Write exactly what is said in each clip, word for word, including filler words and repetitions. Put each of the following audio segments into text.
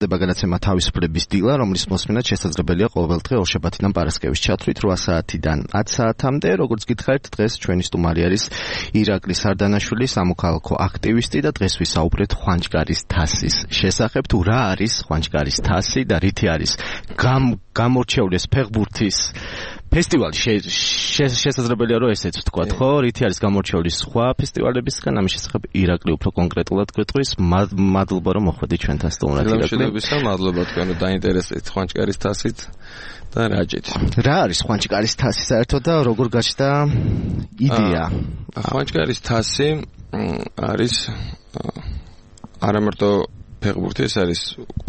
ხდება გადაცემა თავისუფლების დილა, რომლის მოსმენად შესაძლებელია ყოველდღე ორშაბათიდან პარასკევის ჩათვლით რვა საათიდან ათ საათამდე. Როგორც გითხარით, დღეს ჩვენი სტუმარი არის ირაკლი სარდანაშვილი, სამოქალაქო აქტივისტი და დღეს ვისაუბრეთ ხვანჯგარის თასის შესახებ. თუ რა არის ხვანჯგარის თასი და რითი არის გამორჩეული ფეხბურთის ფესტივალი შესაძლებელია რომ ესეც ვთქვათ, ხო? რითი არის გამორჩეული სხვა ფესტივალებისგან, ამის შესახებ ირაკლი უფრო კონკრეტულად გვეტყვის. მადლობა რომ მოხვედით ჩვენთან სტუმრად ირაკლი. მადლობა თქვენ რომ დაინტერესდით ხვანჯგარის თასით და რაჯით. რა არის ხვანჯგარის თასი საერთოდ და როგორ გაჩნდა იდეა? ხვანჯგარის თასი არის არამარტო ფეხბურთი, ეს არის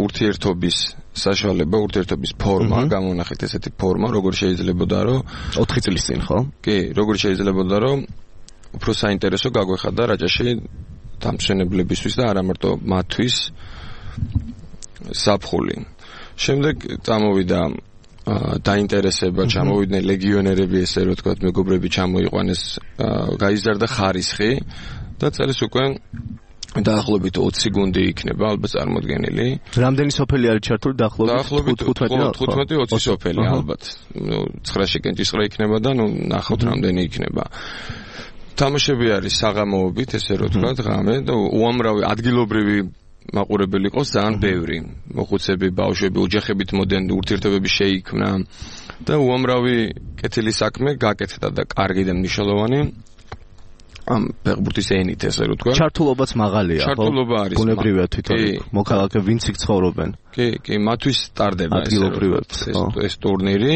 ურთიერთობის საშუალება, ურთიერთობის ფორმა, გამონახეთ ესეთი ფორმა, როგორ შეიძლებოდა რომ ოთხი წლის წინ, ხო? კი, როგორ შეიძლებოდა რომ უფრო საინტერესო გაგვეხადა რაჭაში დამსვენებლებისთვის და არამარტო მათთვის საფხული. შემდეგ წამოვიდა დაინტერესება, ჩამოვიდნენ ლეგიონერები, ესე რომ ვთქვათ, მეგობრები ჩამოიყვანეს, გაიზარდა ხარისხი და წელს უკვე დაახლოებით ოცი გუნდი იქნება ალბათ წარმოდგენილი. რამდენი სოფელი არის ჩართული დაახლოებით? თხუთმეტი ოცი სოფელი ალბათ. ნუ ცხრაში კენჭისყრა იქნება და ნუ ნახოთ რამდენი იქნება. თამაშები არის საღამოობით, ესე რომ ვთქვათ, ღამე და უამრავი ადგილობრივი მაყურებელი ყავს ძალიან ბევრი. მოხუცები, ბავშვები, ოჯახებით მოდენ, ურთიერთობები შეიქმნა და უამრავი კეთილი საქმე გაკეთდა და კარგი და მნიშვნელოვანი ამ ფეხბურთის ენით, ესე რომ ვთქვათ. ჩართულობაც მაღალია, ხო? ჩართულობა არის. ბუნებრივია თვითონ მოქალაქეები ვინც იქ ცხოვრობენ. კი, კი, მათთვის სტარდება ეს ტურნირი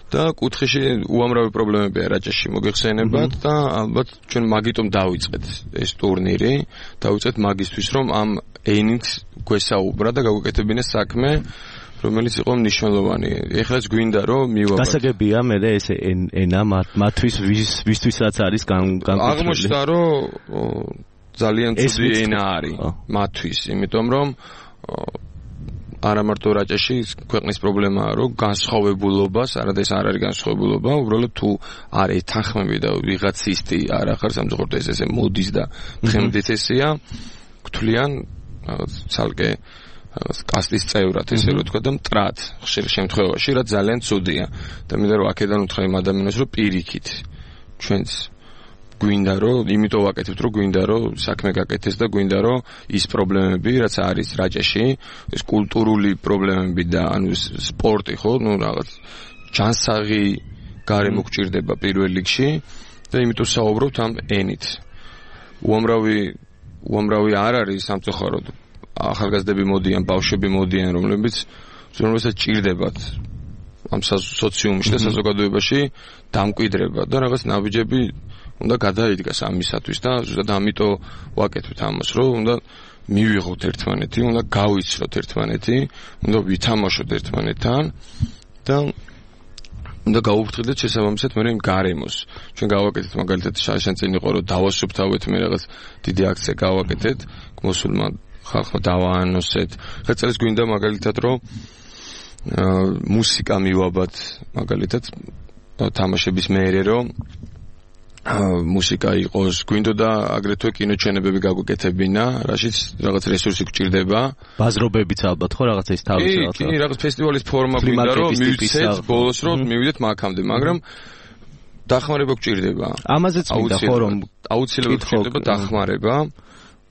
და კუთხეში უამრავი პრობლემებია რაჭაში მოგეხსენებათ და ალბათ ჩვენ მაგიტომ დავიწყეთ ეს ტურნირი, დავიწყეთ მაგისთვის რომ ამ ენით გვესაუბრა და გავუკეთებინეს საქმე, რომელიც იყო მნიშვნელოვანი. ეხლაც გვინდა რომ მივაბართ. გასაგებია მე და ეს ენა მათთვის ვისთვისაც არის განკუთვნილი. აღმოჩნდა რომ ძალიან ცუდი ენა არის მათთვის, იმიტომ რომ არამარტო რაჭაში ქვეყნის პრობლემაა რომ განსხვავებულობას, არადეს არ არის განსხვავებულობა, უბრალოდ თუ არ ეთანხმები და ვიღაც ისტი არ ახარ სამწუხაროდ ეს ესე მოდის და თხემდეთესია, გთვლიან ცალკე კასტის წევრად, ესე რომ ვთქვა და მტრად ხშირ შემთხვევაში, რაც ძალიან ცუდია. და მინდა რომ აქედან უთხრა იმ ადამიანს, რომ პირიქით ჩვენც გვინდა რომ იმიტომ ვაკეთებთ, რომ გვინდა რომ საქმე გაკეთდეს და გვინდა რომ ის პრობლემები, რაც არის რაჭაში, ეს კულტურული პრობლემები და ანუ სპორტი, ხო, ну რაღაც ჯანსაღი გარემო გჭირდება პირველ რიგში და იმიტომ საუბრობთ ამ ენით. უამრავი უამრავი არ არის სამწუხაროდ ახალგაზრდები მოდიან, ბავშვები მოდიან, რომლებიც რომელსაც ჭირდებათ ამ სოციუმში და საზოგადოებაში დამკვიდრება და რაღაც ნაბიჯები უნდა გადაიდგას ამისათვის და ზუსტად ამიტომ ვაკეთებთ ამას, რომ უნდა მივიღოთ ერთმანეთი, უნდა გავიცროთ ერთმანეთი, უნდა ვითამაშოთ ერთმანეთთან და უნდა გავუფრთხილდეთ შესაბამისად მე იმ გარემოს. ჩვენ გავაკეთეთ მაგალითად შაშან წინ იყო რომ დავასუფთავეთ მე რაღაც დიდი აქცია გავაკეთეთ, მოსულმა ხალხმა დავაანონსეთ. ხა წელს გვინდა მაგალითად რომ მუსიკა მივაბათ მაგალითად თამაშების მეერე რომ მუსიკა იყოს, გვინდოდა აგრეთვე კინოჩვენებები გაგვეკეთებინა, რაშიც რაღაც რესურსი გჭირდება. ბაზრობებიც ალბათ ხო რაღაცა ის თავის რაღაცა. კი, რაღაც ფესტივალის ფორმა გვინდა რომ მივცეთ ბოლოს რომ მივიდეთ მაგამდე, მაგრამ დახმარება გჭირდება. ამაზეც მინდა ხო რომ აუცილებლად გჭირდება დახმარება.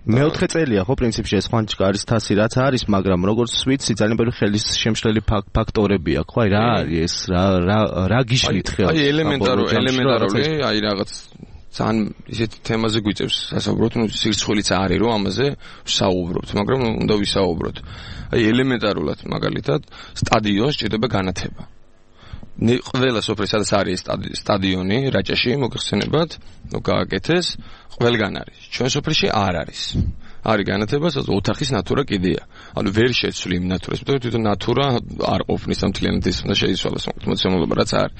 მეოთხე წელია ხო პრინციპში ეს ხვანჯგარის თასი რაც არის, მაგრამ როგორც ვიცი ძალიან ბევრი ხელის შემშლელი ფაქტორები აქვს, ხო? აი რა არის ეს, რა რა რა გიშლით ხელს? აი ელემენტარო ელემენტარული, აი რაღაც ძალიან ისეთ თემაზე გვიწევს სასაუბროთ, ну სირცხვილიც არის რომ ამაზე ვსაუბრობთ, მაგრამ უნდა ვისაუბროთ. აი ელემენტარულად მაგალითად სტადიონს ჭირდება განათება. ყველა სოფელში სადაც არის სტადიონი რაჭაში მოგეხსენებათ, ნუ გააკეთეს, ყველგან არის. ჩვენ სოფელში არ არის. არის განათება, სადაც ოთახის ნატურა კიდეა. ანუ ვერ შეცვლი იმ ნატურას, იმიტომ რომ თვითონ ნატურა არ ყოფნის ამ მთლიანად ის უნდა შეიცვალოს მოცემულობა, რაც არის.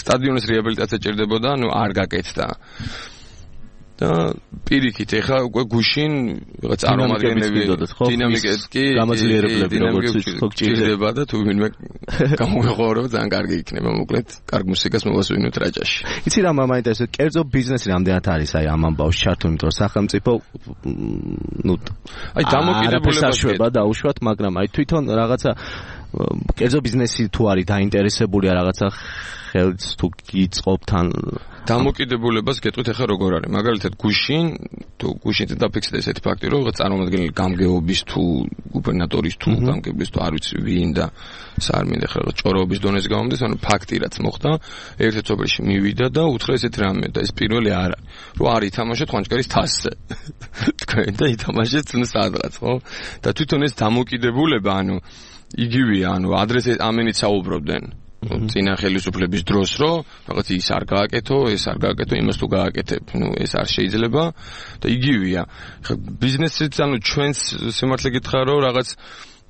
სტადიონის რეაბილიტაცია ჭირდებოდა, ანუ არ გაკეთდა. და პირიქით ეხლა უკვე გუშინ რაღაც წარმომადგენლები დინამიკეთ კი გამაძლიერებლები როგორც ხო გჭირდება და თუ ვინმე გამოიყურება ძალიან კარგი იქნება მოკლედ კარგ მუსიკას მოვასვინოთ რაჭაში. იცი რა მაინტერესებს კერძო ბიზნესი რამდენად არის აი ამ ამბავს ჩართული იმიტომ რომ სახელმწიფო ნუ აი დამოკიდებულება შეება დაუშვათ მაგრამ აი თვითონ რაღაცა კერძო ბიზნესი თუ არის დაინტერესებულია რაღაცა ხელს თუ გიწყობთან დამოკიდებულებას გეტყვით ახლა როგორ არის მაგალითად გუშინ თუ გუშინზე დაფიქსდა ესეთი ფაქტი რომ რაღაც წარმომადგენელი გამგეობის თუ გუბერნატორის თუ გამგეობის თუ არ ვიცი ვინ და სარმინდა ახლა ჭოროობის დონეზე გამომდის ანუ ფაქტი რაც მოხდა ერთ-ერთ სოფელში მივიდა და უთხრა ესეთ რამე და ეს პირველი არა რომ არ ითამაშოთ ხვანჭკარის თასზე თქვენ და ითამაშეთ სადღაც ხო და თვითონ ეს დამოკიდებულება ანუ იგივეა ანუ ადრესე ამენით საუბრობდნენ წინა ხელისუფლების დროს რომ რაღაც ის არ გააკეთო, ეს არ გააკეთო, იმას თუ გააკეთებ, ნუ ეს არ შეიძლება და იგივეა. ხა ბიზნესიც ანუ ჩვენს სიმართლე გითხრა რომ რაღაც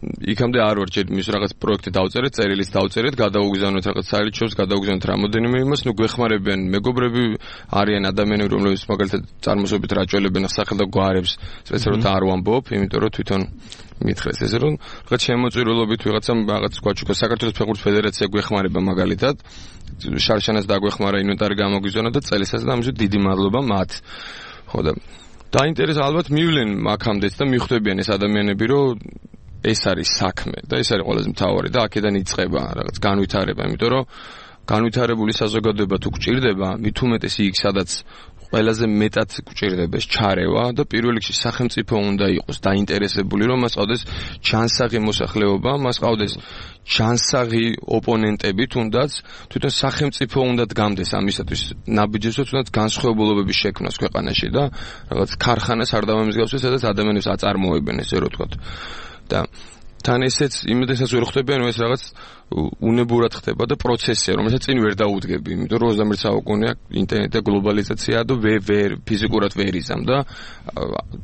იქამდე არ ვარ ჯერ მის რაღაც პროექტი დავწერეთ, წერილიც დავწერეთ, გადავუგზავნოთ რაღაც საერთაშორისო, გადავუგზავნოთ რამოდენიმე იმას, ნუ გვეხმარებიან მეგობრები, არიან ადამიანები, რომლებიც მაგალითად წარმოსობით რაჭველებენ სახელ და გვარებს, სპეციალურად არ ვამბობ, იმიტომ რომ თვითონ მითხრეს ესე რომ რაღაც შემოწირულობით ვიღაცამ რაღაც გვაჩუქა საქართველოს ფეხბურთის ფედერაცია გვეხმარება მაგალითად შარშანას დაგვეხმარა ინვენტარი გამოგვიზონა და წელიწადს და ამისთვის დიდი მადლობა მათ ხო და დაინტერესა ალბათ მივლენ აქამდეც და მიხვდებიან ეს ადამიანები რომ ეს არის საქმე და ეს არის ყველაზე მთავარი და აქედან იწყება რაღაც განვითარება იმიტომ რომ განვითარებული საზოგადოება თუ გჭირდება მით უმეტეს იქ სადაც ყველაზე მეტად გჭირდება ეს ჩარევა და პირველ რიგში სახელმწიფო უნდა იყოს დაინტერესებული რომ მას ყავდეს ჩანსაღი მოსახლეობა, მას ყავდეს ჩანსაღი ოპონენტები თუნდაც თვითონ სახელმწიფო უნდა დგამდეს ამისათვის ნაბიჯებსო თუნდაც განსხვავებულობების შექმნას ქვეყანაში და რაღაც ქარხანას არ დავამსგავსოს სადაც ადამიანებს აწარმოებენ ესე რომ ვთქვათ და თან ესეც იმედესაც ვერ ხვდებიან რომ ეს რაღაც უნებურად ხდება და პროცესია რომელსაც წინ ვერ დაუდგები იმიტომ რომ ოცდამეერთე საუკუნეა ინტერნეტი და გლობალიზაცია და ვერ ფიზიკურად ვერ იზამ და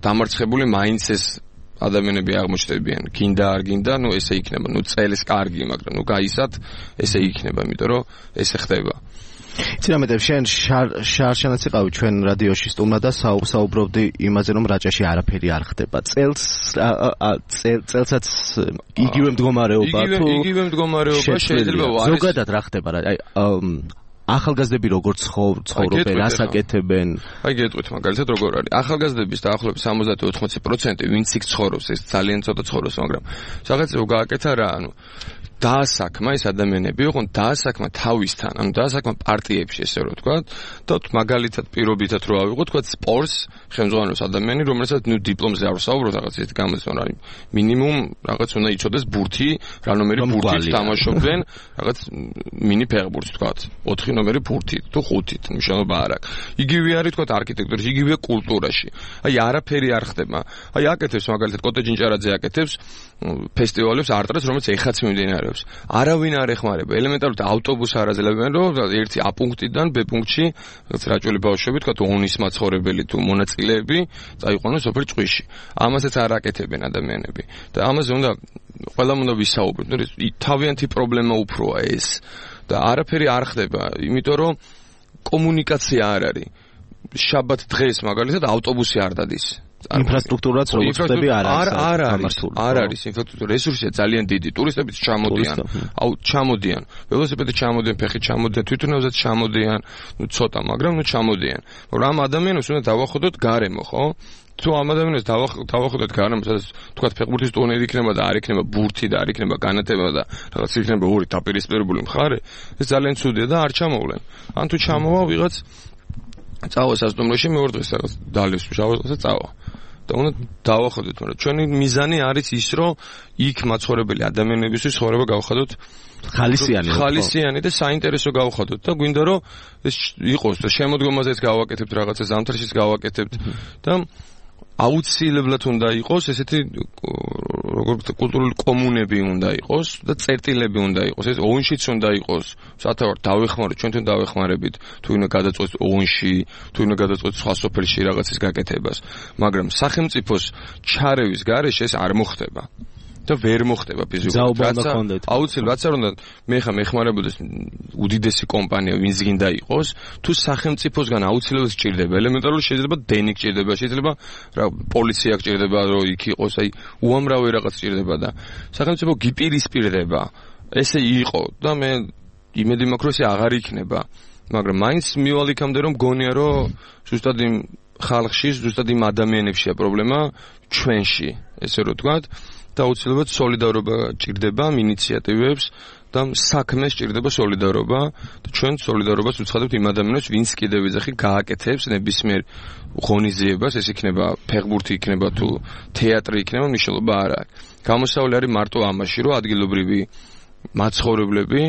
დამარცხებული მაინც ეს ადამიანები აღმოჩნდებიან გინდა არ გინდა ნუ ესე იქნება ნუ წელს კარგი მაგრამ ნუ გაისად ესე იქნება იმიტომ რომ ესე ხდება იცი რა მეტყვი შენ შარშანაც იყავი ჩვენ რადიოში სტუმრად და საუბრობდი იმაზე რომ რაჭაში არაფერი არ ხდება წელს წელსაც იგივე მდგომარეობა თუ იგივე მდგომარეობა შეიძლება არის ზოგადად რა ხდება რა აი ახალგაზრდები როგორ ცხოვრობენ, რას აკეთებენ? აი გეტყვით მაგალითად როგორ არის. ახალგაზრდების დაახლოებით სამოცდაათი ოთხმოცი პროცენტი ვინც იქ ცხოვრობს, ეს ძალიან ცოტა ცხოვრობს, მაგრამ რაღაცა გააკეთა რა, ანუ დაასაქმა ეს ადამიანები, ოღონ დაასაქმა თავისთან, ანუ დაასაქმა პარტიებში, ესე რომ ვთქვა, და მაგალითად პირობითად რო ავიღოთ, თქვა სპორტს ხელმძღვანელობს ადამიანი, რომელსაც ნუ დიპლომზე არ ვსაუბრობ, რაღაც ეს გამოცდონა არის. მინიმუმ რაღაც უნდა იცოდეს ბურთი, რა ნომერი ბურთით თამაშობდნენ, რაღაც მინი ფეხბურთს თქვა, ოთხი ნომერი ბურთით, თუ ხუთით, მნიშვნელობა არ აქვს. იგივე არის თქვა არქიტექტურაში, იგივე კულტურაში. აი არაფერი არ ხდება. აი აკეთებს მაგალითად კოტეჯინჭარაძე აკეთებს ფესტივალებს არტ-რას, რომელიც ეხაც მიმდინარეობს. არავინ არ ეხმარება. ელემენტარულად ავტობუსს არ აძლევენ, რომ ერთი A პუნქტიდან B პუნქტში რაჭველი ბავშვები, თქვა ონის მაცხოვრებელი თუ მონაწილეები წაიყვანოს სოფელ ჭყვიში. ამასაც არ აკეთებენ ადამიანები. და ამაზე უნდა ყველამ უნდა ვისაუბროთ. თავიანთი პრობლემა უფროა ეს. და არაფერი არ ხდება, იმიტომ რომ კომუნიკაცია არ არის. შაბათ დღეს მაგალითად ავტობუსი არ დადის. ინფრასტრუქტურაც როგორც ხდები არ არის. არ არის. არ არის ინფრასტრუქტურა, რესურსია ძალიან დიდი. ტურისტებიც ჩამოდიან. აუ ჩამოდიან. ველოსიპედით ჩამოდიან, ფეხით ჩამოდიან, თვითონავზეც ჩამოდიან. ნუ ცოტა, მაგრამ ნუ ჩამოდიან. მაგრამ ამ ადამიანებს უნდა დავახვდოთ გარემო, ხო? თუ ამ ადამიანებს დავახვდოთ გარემო, სადაც თქვა ფეხბურთის ტურნირი იქნება და არ იქნება ბურთი და არ იქნება განათება და რაღაც იქნება ორი დაპირისპირებული მხარე, ეს ძალიან ცუდია და არ ჩამოვლენ. ან თუ ჩამოვა ვიღაც წავა სასტუმროში მეორე დღეს რაღაც დალევს შავსა წავა. და უნდა დავახვდეთ, მაგრამ ჩვენი მიზანი არის ის, რომ იქ მაცხოვრებელი ადამიანებისთვის ცხოვრება გავხადოთ ხალისიანი ხალისიანი და საინტერესო გავხადოთ და გვინდა რომ ეს იყოს და შემოდგომაზეც გავაკეთებთ რაღაცა ზამთარშიც გავაკეთებთ და აუცილებლად უნდა იყოს ესეთი როგორც კულტურული კომუნები უნდა იყოს და წერტილები უნდა იყოს ეს ოუნშიც უნდა იყოს სათავარ დავეხმაროთ ჩვენთან დავეხმარებით თუ უნდა გადაწყვეტს ოუნში თუ უნდა გადაწყვეტს სხვა სოფელში რაღაცის გაკეთებას მაგრამ სახელმწიფოს ჩარევის გარეშე ეს არ მოხდება და ვერ მოხდება ფიზიკურად. აუცილებლად რაც არ უნდა მე ხა მეხმარებოდეს უდიდესი კომპანია ვინც გინდა იყოს, თუ სახელმწიფოსგან აუცილებლად სჭირდება, ელემენტარული შეიძლება დენი სჭირდება, შეიძლება რა პოლიცია სჭირდება, რომ იქ იყოს, აი უამრავი რაღაც სჭირდება და სახელმწიფო გიპირისპირდება. ესე იყო და მე იმედი მაქვს რომ ესე აღარ იქნება, მაგრამ მაინც მივალ იქამდე რომ გონია რომ ზუსტად იმ ხალხში, ზუსტად იმ ადამიანებშია პრობლემა ჩვენში, ესე რომ ვთქვათ, და აუცილებლად სოლიდარობა ჭირდება ინიციატივებს და საქმე სჭირდება სოლიდარობა და ჩვენ სოლიდარობას ვუცხადებთ იმ ადამიანებს, ვინც კიდევ ეძახი გააკეთებს ნებისმიერ ღონისძიებას, ეს იქნება ფეხბურთი, იქნება თუ თეატრი, იქნება მნიშვნელობა არ აქვს. გამოსავალი არის მარტო ამაში, რომ ადგილობრივი მაცხოვრებლები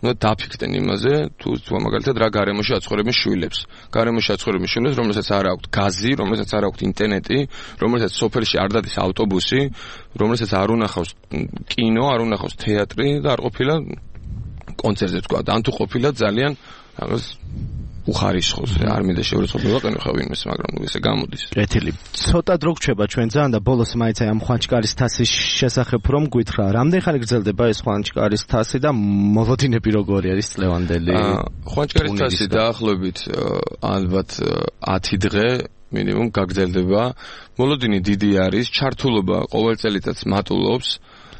ნუ დაფიქრდნენ იმაზე, თუ თუ მაგალითად რა გარემოში აცხოვრებენ შვილებს. გარემოში აცხოვრებენ შვილებს, რომელსაც არ აქვს გაზი, რომელსაც არ აქვს ინტერნეტი, რომელსაც სოფელში არ დადის ავტობუსი, რომელსაც არ უნახავს კინო, არ უნახავს თეატრი და არ ყოფილა კონცერტზე თქვა. ან თუ ყოფილა ძალიან რაღაც უხარისხოს, არ მინდა შეურაცხყოფა ვაყენო ხა ვინმეს, მაგრამ ესე გამოდის. კეთილი. ცოტა დრო გრჩება ჩვენ ძალიან და ბოლოს მაინც აი ამ ხვანჭკარის თასის შესახებ რომ გვითხრა. რამდენი ხანი გრძელდება ეს ხვანჭკარის თასი და მოლოდინები როგორი არის წლევანდელი? ხვანჭკარის თასი დაახლოებით ალბათ ათი დღე მინიმუმ გაგრძელდება. მოლოდინი დიდი არის, ჩართულობა ყოველ წელიწადს მატულობს.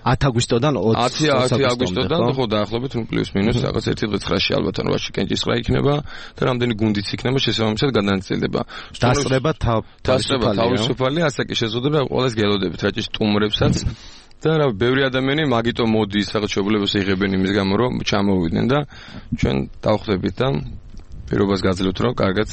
ათი აგვისტოდან ოცი აგვისტოდან ხო დაახლოებით პლუს მინუს რაღაც ერთი დღე ცხრაში ალბათ ანუ ვაში კენჭისყრა იქნება და რამდენი გუნდიც იქნება შესაბამისად გადანაწილდება. დასწრება თავისუფალი თავისუფალი ასაკი შეზღუდება ყველას გელოდებით რაჭის სტუმრებსაც და რა ბევრი ადამიანი მაგიტო მოდის რაღაც შეუძლებლობას იღებენ იმის გამო რომ ჩამოვიდნენ და ჩვენ დავხვდებით და პირობას გაძლევთ რომ კარგად